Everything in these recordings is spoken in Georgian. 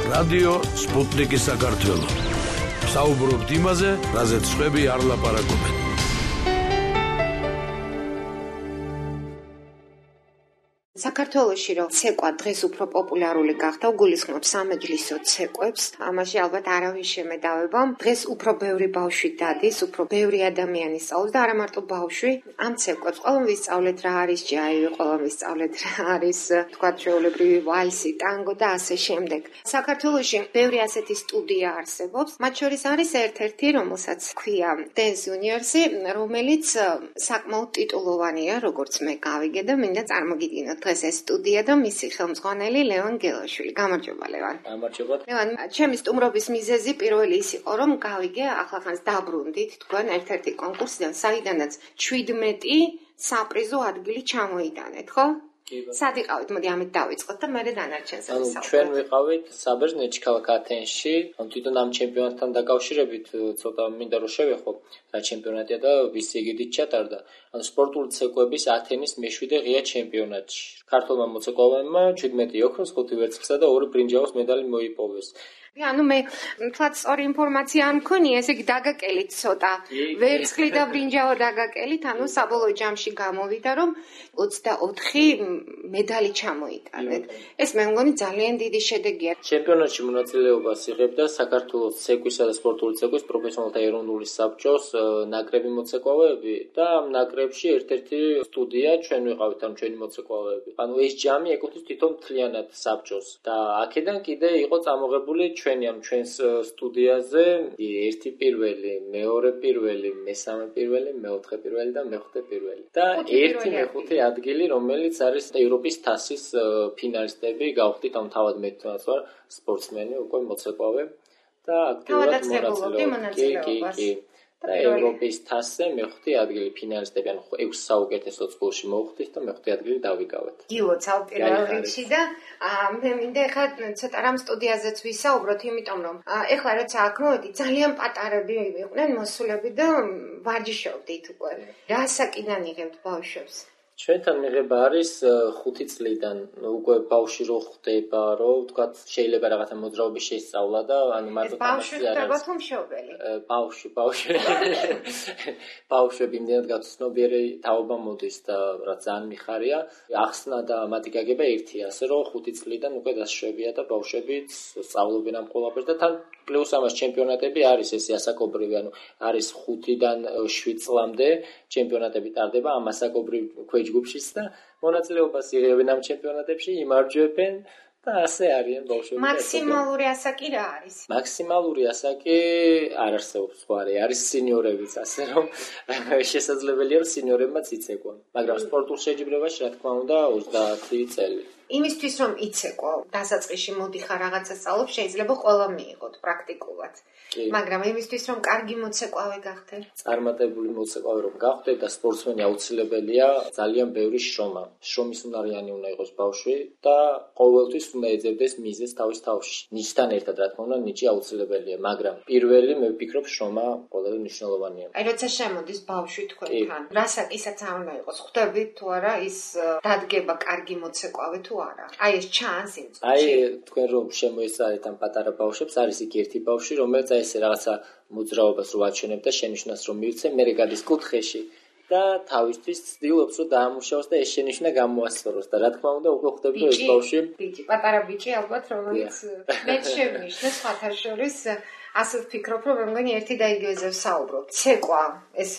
რადიო სპუტნიკის საქართველო. საუბრობთ იმაზე, რაზეც სხვები არ ლაპარაკობენ. საქართველოში რომ ცეკვა დღეს უფრო პოპულარული გახდა, გულისხმობ სამეჯლისო ცეკვებს, ამაში ალბათ არავინ შემედავება. დღეს უფრო ბევრი ბავშვი დადის, უფრო ბევრი ადამიანი სწავლობს და არა მარტო ბავშვი, ამ ცეკვებს ყველამ ვისწავლეთ რა არის ჯაივი, ყველამ ვისწავლეთ რა არის, თქვათ, ჩვეულებრივი ვალსი, ტანგო და ასე შემდეგ. საქართველოში ბევრი ასეთი სტუდია არსებობს, მათ შორის არის ერთ-ერთი, რომელსაც ქვია Dance Universe, რომელიც საკმაოდ ტიტულოვანია, როგორც მე გავიგე და მინდა წარმოგიდგინოთ ეს სტუდია და მისი ხელმძღვანელი ლევან გელაშვილი. გამარჯობა ლევან. გამარჯობა. ლევან, ჩემი სტუმრობის მიზეზი პირველი ის იყო, რომ გავიგე ახლახანს დაბრუნდით თქვენ ერთ-ერთი კონკურსიდან, საიდანაც 17 საპრიზო ადგილი ჩამოიტანეთ, ხო? სად იყავით? მოდი ამით დავიწყოთ და მერე დანარჩენს ვისაუბროთ. ჩვენ ვიყავით საბერძნეთში, ქალაქ ათენში. თვითონ ამ ჩემპიონატთან დაკავშირებით ცოტა მინდა რომ შევეხო რა ჩემპიონატია და ვის იგივით ჩატარდა. ანუ სპორტული ცეკვების ათენის მეშვიდე ღია ჩემპიონატში. ქართულმა მოცეკვავებმა 17 ოქროს, 5 ვერცხლისა და 2 ბრინჯაოს медали მოიპოვეს. ანუ მე თქვათ სწორი ინფორმაცია არ მქონია, ესე იგი დაგაკელით ცოტა. ვერცხლი და ბრინჯაო დაგაკელით, ანუ საბოლოო ჯამში გამოვიდა, რომ 24 медали ჩამოიტანეთ. ეს მე მგონი ძალიან დიდი შედეგია. ჩემპიონატში მონაწილეობას იღებდა საქართველოს ცეკვისა და სპორტული ცეკვის პროფესიონალთა ეროვნული საბჭოს ნაკრები მოცეკვავეები და ამ ნაკრებში ერთ-ერთი სტუდია ჩვენ ვიყავით, ანუ ჩვენი მოცეკვავეები. ანუ ეს ჯამი ეკუთვნის თვითონ მთლიანად საბჭოს და აქედან კიდე იყო წამოღებული ჩვენს სტუდიაზე ერთი პირველი, მეორე პირველი, მესამე პირველი, მეოთხე პირველი და მეხუთე პირველი. და ერთი მეხუთე ადგილი, რომელიც არის ევროპის თასის ფინალისტები, გავხდით ამ თავად მე თვითონაც ვარ სპორტსმენი, უკვე მოცეკვავე და აქტიურად მონაწილეობდი. და ევროპის თასზე მეხუთე ადგილი ფინალისტები, ანუ 6 საუკეთესო წყვილში მოვხდით და მეხუთე ადგილი დავიკავეთ. გილოცავ პირველ რიგში და მე მინდა ახლა ცოტა რამ სტუდიაზეც ვისაუბროთ, იმიტომ რომ ახლა როცა აქ მოვედი, ძალიან პატარები იყვნენ მოსულები და ვარჯიშობდით უკვე. რა საკიდან იღებთ ბავშვებს? ჩვენთან მიღება არის 5 წლიდან უკვე ბავშვი რო ხდება, რომ ვთქვათ შეიძლება რაღაცა მოძრაობის შესწავლა და ანუ მარტო ბავშვი ხდება თუ მშობელი? ბავშვები იმდენად გაცნობიერე თაობა მოდის და რა ძალიან მიხარია. ახსნა და მათი გაგება ერთია, ასე რომ 5 წლიდან უკვე დასშვებია და ბავშვებიც სწავლობენ ამ ყველაფერს და თან პლუს ამას ჩემპიონატები არის ესე ასაკობრივი, ანუ არის 5-დან 7 წლამდე ჩემპიონატები ტარდება ამ ასაკობრივ ჯგუფშიც და მონაწილეობას იღებენ ამ ჩემპიონატებში, იმარჯვებენ და ასე არიან ბავშვები. მაქსიმალური ასაკი რა არის? მაქსიმალური ასაკი არ არსებობს სხვარი, არის სინიორებიც, ასე რომ შესაძლებელია რომ სინიორებმაც იცეკვონ, მაგრამ სპორტულ შეჯიბრებაში რა თქმა უნდა 30 წელი. იმისთვის რომ იცეკვო, დასაწყისში მოდიხარ რაღაცა სწავლობ, შეიძლება ყველა მიიღოთ პრაქტიკულად. მაგრამ იმისთვის რომ კარგი მოცეკვავე გახდე, წარმატებული მოცეკვავე რომ გახდე და სპორტსმენი აუცილებელია ძალიან ბევრი შრომა. შრომის უნარიანი უნდა იყოს ბავშვი და ყოველთვის უნდა ეძებდეს მიზეზს თავის თავში. ნიჭთან ერთად რა თქმა უნდა, ნიჭი აუცილებელია, მაგრამ პირველი მე ვფიქრობ შრომა ყველაზე მნიშვნელოვანია. აი როცა შემოდის ბავშვი თქვენთან, რა საკისაც არ უნდა იყოს, ხვდებით თუ არა ის დადგება კარგი მოცეკვავე თუ არა. აი ეს ჩანს იმ წუთში. აი თქვენ რომ შემოესწარეთ ამ პატარა ბავშვებს, არის იქ ერთი ბავშვი, რომელიც აი ესე რაღაცა მოძრაობას რო აჩვენებ და შენიშვნას რომ მივცე, მერე გადის კუთხეში და თავისთვის ცდილობს რომ დაამუშავოს და ეს შენიშვნა გამოასწოროს და რა თქმა უნდა უკვე ხვდები რომ ეს ბავშვი ბიჭი, პატარა ბიჭი ალბათ რომელიც მე შევნიშნე სხვათა შორის ასე ვფიქრობ, რომ მე მგონი ერთი და იგივეზე ვსაუბრობ. ცეკვა, ეს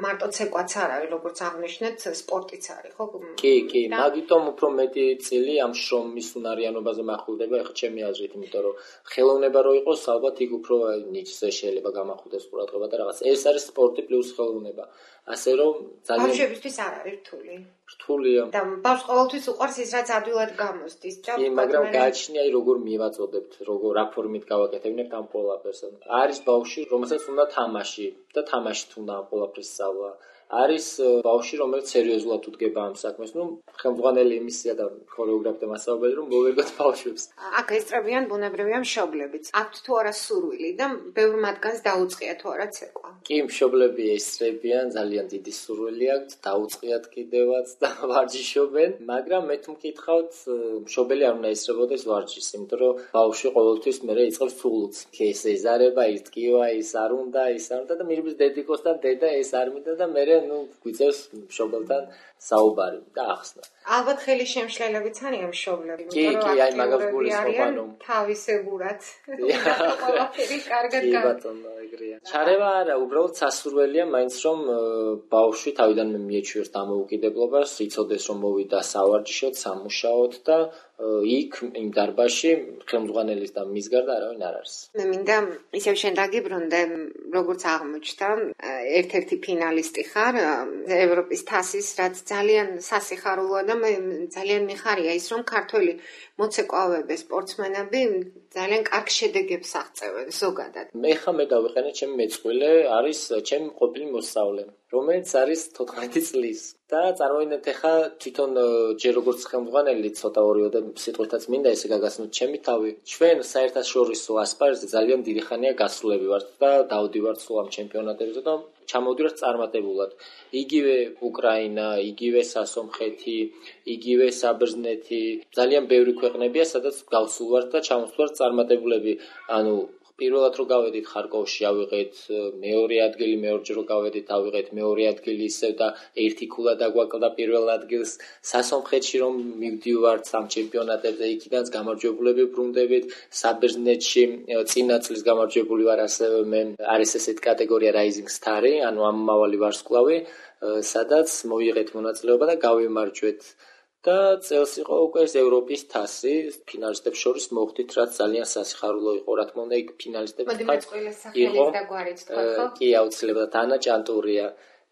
მარტო ცეკვაც არ არის, როგორც აღნიშნეთ, სპორტიც არის, ხო? კი, მაგიტომ უფრო მეტი წილი ამ შრომის უნარიანობაზე მახვილდება, ეხლა ჩემი აზრით, იმიტომ რომ ხელოვნება რო იყოს, ალბათ იქ უფრო ნიჭზე შეიძლება გამახვილდეს ყურადღება და რაღაც. ეს არის სპორტი პლუს ხელოვნება. ასე რომ ძალიან ბავშვებისთვის არ არის რთული. რთულია. და ბავშვს ყოველთვის უყვარს ის, რაც ადვილად გამოსდის. კი, მაგრამ გააჩნია როგორ მივაწოდებთ, როგორ რა ფორმით გავაკეთებინებთ ამ ყველაფერს. არის ბავშვი, რომელსაც უნდა თამაში და თამაშით უნდა ამ ყველაფრის სწავლა. არის ბავშვი, რომელიც სერიოზულად უდგება ამ საქმეს. ხელმძღვანელი იმისია და ქორეოგრაფია მასწავლებელი, რომ მოვერგოთ ბავშვებს. აქ ესწრებიან ბუნებრივია მშობლებიც. აქვთ თუ არა სურვილი და ბევრ მათგანს დაუწყია თუ არა ცეკვა. კი, მშობლები ესწრებიან, ძალიან დიდი სურვილი აქვთ, დაუწყიათ კიდევაც და ვარჯიშობენ, მაგრამ მე თუ მკითხავთ, მშობელი არ უნდა ესწრებოდეს ვარჯიშს, იმიტომ რომ ბავშვი ყოველთვის მერე იწყებს ფულს. ეს ეზარება, ის ტკივა, ის არ უნდა და მირბის დედიკოსთან დედა ეს არ მინდა და მერე გვიწევს მშობელთან საუბარი და ახსნა. ალბათ ხელი შემშლელებიც არიან მშობლები, იმიტომ რომ აი მაგას გულისხმობ თავისებურად. ყველაფერი კარგად კი ბატონო, ეგრეა. ჩარევა არა, უბრალოდ სასურველია მაინც რომ ბავშვი თავიდანვე მიეჩვიოს დამოუკიდებლობას, იცოდეს რომ მოვიდა სავარჯიშოდ, სამუშაოდ და იქ იმ დარბაზში ხელმძღვანელის და მის გარდა არავინ არ არის. მე მინდა ისევ შენ დაგიბრუნდე, როგორც აღმოჩნდა, ერთ-ერთი ფინალისტი ხარ ევროპის თასის, რაც ძალიან სასიხარულოა და მე ძალიან მიხარია ის, რომ ქართველი მოცეკვავები, სპორტსმენები ძალიან კარგ შედეგებს აღწევენ ზოგადად. მე დავიყენე ჩემი მეწყვილე, არის ჩემი ყოფილი მოსწავლე, რომელიც არის 14 წლის. და წარმოიდგინეთ ახლა თვითონ ჯერ როგორც ხელმძღვანელი ცოტა ორიო და სიტყვითაც მინდა ესე გაგაცნოთ ჩემი თავი. ჩვენ საერთაშორისო ასპარეზზე ძალიან დიდი ხანია გასულები ვართ და დავდივართ სულ ამ ჩემპიონატებზე და ჩამოვდივართ წარმატებულად. იგივე უკრაინა, იგივე სასომხეთი, იგივე საბერძნეთი, ძალიან ბევრი ქვეყნებია, სადაც გავსულ ვართ და ჩამოვდივართ წარმატებულები. პირველად რო გავედით ხარკოვში ავიღეთ მეორე ადგილი, მეორჯერ რო გავედით ავიღეთ მეორე ადგილი ისევ და ერთი ქულა დაგვაკლდა პირველ ადგილს. სასომხეთში რომ მივდივართ სამ ჩემპიონატებზე, იქიდანაც გამარჯვებულები ბრუნდებით. საბერძნეთში წინა წლის გამარჯვებული ვარ ასევე მე. არის ესეთი კატეგორია Rising Star-ი, ამავალი ვარსკვლავი, სადაც მოვიღეთ მონაწილეობა და გავიმარჯვეთ. და წელს იყო უკვე ევროპის თასი, ფინალისტებს შორის მოხვდით, რაც ძალიან სასიხარულო იყო, რა თქმა უნდა, იქ ფინალისტებს იყო. კი, აუცილებლად ანა ჭანტურია.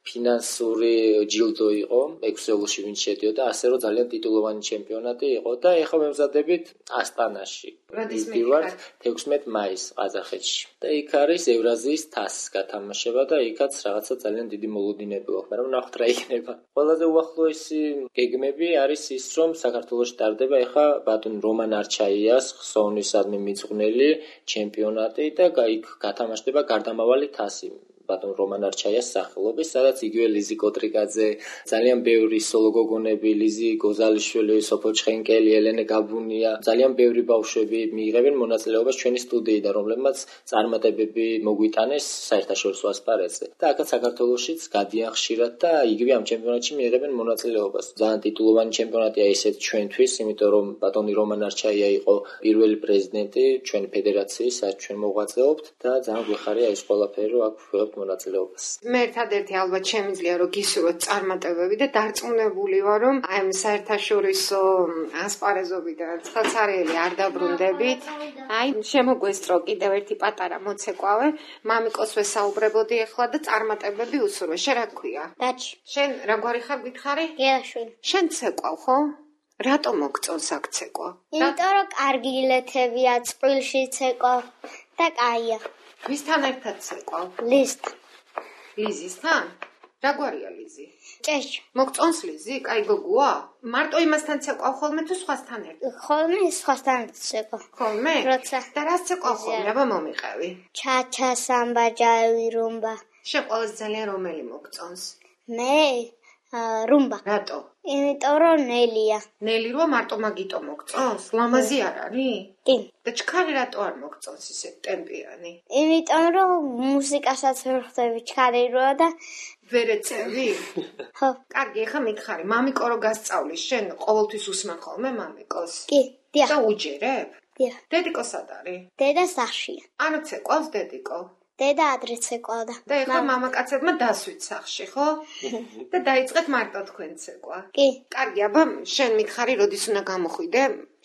ფინანსური ჯილდო იყო, 6 ევროში ვინც შედიოდა, ასე რომ ძალიან ტიტულოვანი ჩემპიონატი იყო და ეხლა მემზადებით ასტანაში. ვიდივართ 16 მაისს ყაზახეთში. და იქ არის ევრაზიის თასის გათამაშება და იქაც რაღაცა ძალიან დიდი მოლოდინები აქვს, მაგრამ ნახოთ რა იქნება. ყველაზე უახლოესი გეგმები არის ის, რომ საქართველოში ტარდება ეხლა ბატონ რომან არჩაიას ხსოვნისადმი მიძღვნელი ჩემპიონატი და იქ გათამაშდება გარდამავალი თასი. ბატონ რომან არჩაიას სახელობის, სადაც იგივე ლიზი კოტრიკაძე, ძალიან ბევრი სოლო გოგონები, ლიზი გოზალიშვილი, სოფო ჩხენკელი, ელენე გაბუნია, ძალიან ბევრი ბავშვები მიიღებენ მონაწილეობას ჩვენი სტუდიიდან, რომლებმაც წარმატებები მოგვიტანეს საერთაშორისო ასპარეზზე. და აქაც საქართველოშიც გადიან ხშირად და იგივე ამ ჩემპიონატში მიიღებენ მონაწილეობას. ძალიან ტიტულოვანი ჩემპიონატია ისეთ ჩვენთვის, იმიტომ რომ ბატონი რომან არჩაია იყო პირველი პრეზიდენტი ჩვენი ფედერაციის, სადაც ჩვენ მოღვაწეობთ და ძალიან გვეხარია ეს ყველაფერი, რომ აქ ვიღებთ მონაწილეობას. მე ერთადერთი ალბათ შემიძლია რომ გისურვოთ წარმატებები და დარწმუნებული ვარ რომ აი ამ საერთაშორისო ასპარეზობიდან ცხრაცარიელი არ დაბრუნდებით. აი შემოგვესწრო კიდევ ერთი პატარა მოცეკვავე, მამიკოს ვესაუბრებოდი ახლა და წარმატებები უსურვე. შენ რა გქვია? დაჩი. შენ რა გვარი ხარ გითხარი? გეაშვილი. შენ ცეკვავ ხო? რატო მოგწონს აქ ცეკვა? იმიტომ რომ კარგი ილეთებია, წყვილში ცეკვავ და კაია. ვისთან ერთად ცეკვავ? ლიზისთან? რა გვარია ლიზი? ჭეშ. მოგწონს ლიზი? კაი გოგოა? მარტო იმასთან ცეკვავ ხოლმე თუ სხვასთან ერთად? ხოლმე სხვასთან ცეკვავ. ხოლმე? როცა. და რას ცეკვავ ხოლმე? აბა მომიყევი. ჩაჩა, სამბა, ჯავი, რუმბა. შენ ყველაზე ძალიან რომელი მოგწონს? მე რუმბა. რატო? იმიტომ რომ ნელია. ნელი რო მარტო მაგიტო მოგწონს? ლამაზი არ არის? კი. და ჩქარი რატო არ მოგწონს ისე ტემპიანი? იმიტომ რომ მუსიკასაც ვერ ხვდები ჩქარი როა და ვერ ეწევი? ხო. კარგი, ახლა მითხარი, მამიკო რო გასწავლის, შენ ყოველთვის უსმენ ხოლმე მამიკოს? კი, დიახ. და უჯერებ? დიახ. დედიკო სად არის? დედა სახშია. ანუ ცეკვავს დედიკო? დედა ადრე ცეკვავდა. და ეხლა მამაკაცებმა დასვით სახში, ხო? და დაიწყეთ მარტო თქვენ ცეკვა. კი. კარგი, აბა შენ მითხარი, როდის უნდა გამოხვიდე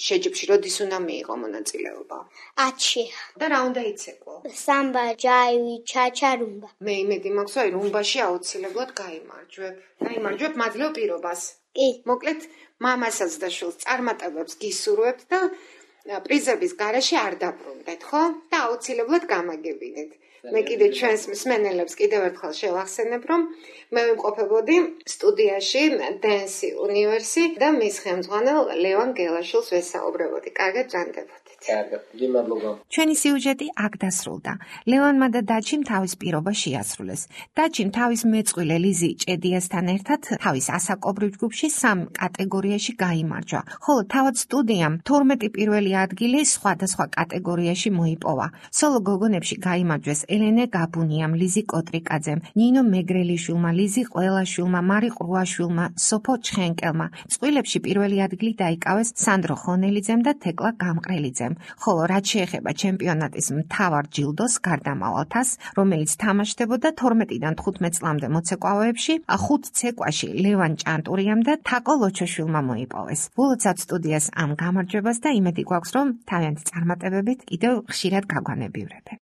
შეჯიბრში, როდის უნდა მიიღო მონაწილეობა? 10-ში. და რა უნდა იცეკვო? სამბა, ჯაივი, ჩაჩა, რუმბა. მე იმედი მაქვს, რომ რუმბაში აუცილებლად გაიმარჯვებ. გაიმარჯვებ მადლობ პირობას. კი. მოკლედ, მამასაც და შვილს წარმატებებს გისურვებთ და პრიზების გარეშე არ დაბრუნდეთ, ხო? და აუცილებლად გამაგებინეთ. მე კიდე ჩვენს მსმენელებს კიდევ ერთხელ შევახსენებ, რომ მე ვიმყოფებოდი სტუდიაში Dance Universe და მის ხელმძღვანელ ლევან გელაშვილს ვესაუბრებოდი. კარგად ბრანდებოდით. კარგად, მადლობა. ჩვენი სიუჟეტი აქ დასრულდა. ლევანმა და დაჩიმ თავის პირობა შეასრულეს. დაჩიმ თავის მეწყვილე ლიზი ჭედიასთან ერთად თავის ასაკობრივ ჯგუფში 3 კატეგორიაში გაიმარჯვა, ხოლო თავად სტუდიამ 12 პირველი ადგილი სხვადასხვა კატეგორიაში მოიპოვა. სოლო გოგონებში გაიმარჯვეს ელენე გაბუნიამ, ლიზი კოტრიკაძემ, ნინო მეგრელიშვილმა, ლიზი ყველაშვილმა, მარი ყრუაშვილმა, სოფო ჩხენკელმა. წყვილებში პირველი ადგილი დაიკავეს სანდრო ხონელიძემ და თეკლა გამყრელიძემ. ხოლო რაც შეეხება ჩემპიონატის მთავარ ჯილდოს გარდამავალთას, რომელიც თამაშდებოდა 12-დან 15 წლამდე მოცეკვავეებში, 5 ცეკვაში ლევან ჭანტურიამ და თაკო ლოჩოშვილმა მოიპოვეს. ულოცავთ სტუდიას ამ გამარჯვებას და იმედი გვაქვს, რომ თავიანთი წარმატებებით კიდევ ხშირად გაგვანებივრებენ.